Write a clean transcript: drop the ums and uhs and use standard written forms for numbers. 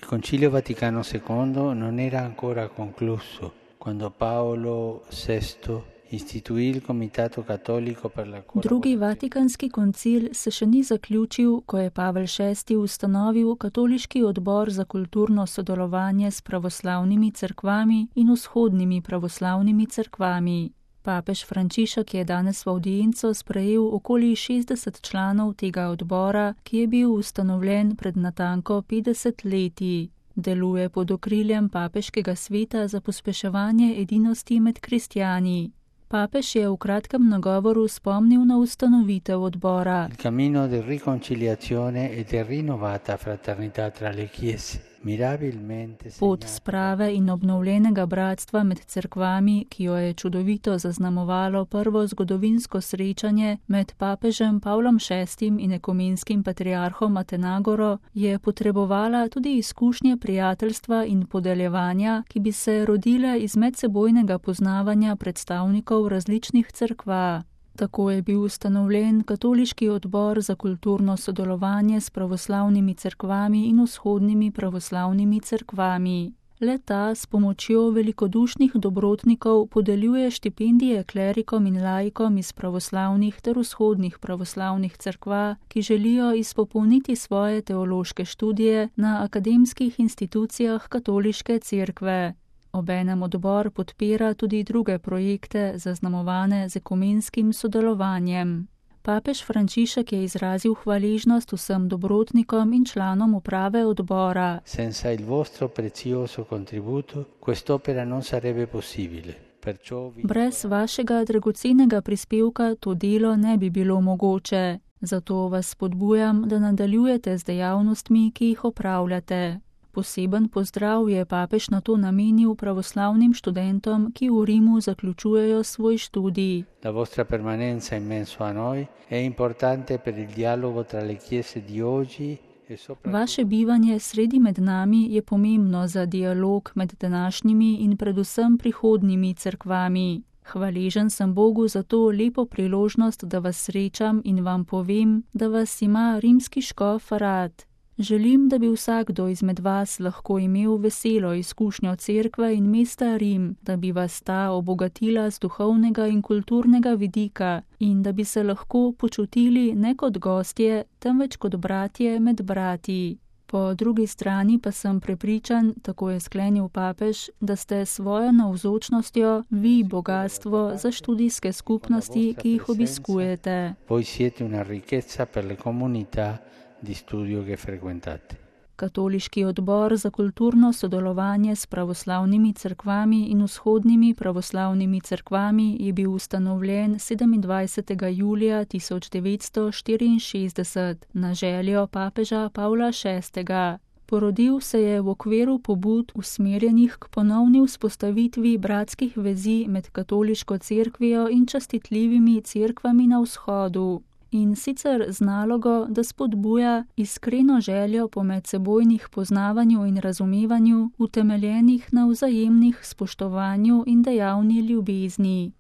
Concilio Vaticano II non era ancora concluso quando Paolo VI istituì il Comitato Cattolico per la Drugi Vatikanski koncil se še ni zaključil, ko je Pavel VI ustanovil Katoliški odbor za kulturno sodelovanje s pravoslavnimi cerkvami in vzhodnimi pravoslavnimi cerkvami. Papež Frančišek je danes v avdienco sprejel okoli 60 članov tega odbora, ki je bil ustanovljen pred natanko 50 leti. Deluje pod okriljem Papeškega sveta za pospeševanje edinosti med kristjani. Papež je v kratkem nagovoru spomnil na ustanovitev odbora. Il cammino di riconciliazione e di rinnovata fraternità tra le chiese. Pot sprave in obnovljenega bratstva med cerkvami, ki jo je čudovito zaznamovalo prvo zgodovinsko srečanje med papežem Pavlom VI in ekumenskim patriarhom Atenagoro, je potrebovala tudi izkušnje prijateljstva in podeljevanja, ki bi se rodile iz medsebojnega poznavanja predstavnikov različnih cerkva. Tako je bil ustanovljen Katoliški odbor za kulturno sodelovanje s pravoslavnimi cerkvami in vzhodnimi pravoslavnimi cerkvami. Le-ta s pomočjo velikodušnih dobrotnikov podeljuje štipendije klerikom in laikom iz pravoslavnih ter vzhodnih pravoslavnih cerkva, ki želijo izpopolniti svoje teološke študije na akademskih institucijah katoliške cerkve. Obenem odbor podpira tudi druge projekte, zaznamovane z ekumenskim sodelovanjem. Papež Frančišek je izrazil hvaležnost vsem dobrotnikom in članom uprave odbora. Senza il vostro prezioso contributo, quest'opera non sarebbe possibile. Brez vašega dragocenega prispevka to delo ne bi bilo mogoče. Zato vas spodbujam, da nadaljujete z dejavnostmi, ki jih opravljate. Poseben pozdrav je papež na to namenil pravoslavnim študentom, ki v Rimu zaključujejo svoj študij. La vostra permanenza in messo a noi è importante per il dialogo tra le chiese di oggi e soprattutto. Vaše bivanje sredi med nami je pomembno za dialog med današnjimi in predvsem prihodnjimi cerkvami. Hvaležen sem Bogu za to lepo priložnost, da vas srečam in vam povem, da vas ima rimski škof rad. Želim, da bi vsakdo izmed vas lahko imel veselo izkušnjo cerkve in mesta Rim, da bi vas ta obogatila z duhovnega in kulturnega vidika in da bi se lahko počutili ne kot gostje, temveč kot bratje med brati. Po drugi strani pa sem prepričan, tako je sklenil papež, da ste svojo navzočnostjo vi bogastvo za študijske skupnosti, ki jih obiskujete. Voi siete una ricchezza per le comunità di studio che frequentate. Katoliški odbor za kulturno sodelovanje s pravoslavnimi cerkvami in vzhodnimi pravoslavnimi cerkvami je bil ustanovljen 27. julija 1964 na željo papeža Pavla VI. Porodil se je v okviru pobud usmerjenih k ponovni vzpostavitvi bratskih vezi med katoliško cerkvijo in častitljivimi cerkvami na vzhodu. In sicer z nalogo, da spodbuja iskreno željo po medsebojnih poznavanju in razumevanju, utemeljenih na vzajemnih spoštovanju in dejavni ljubezni.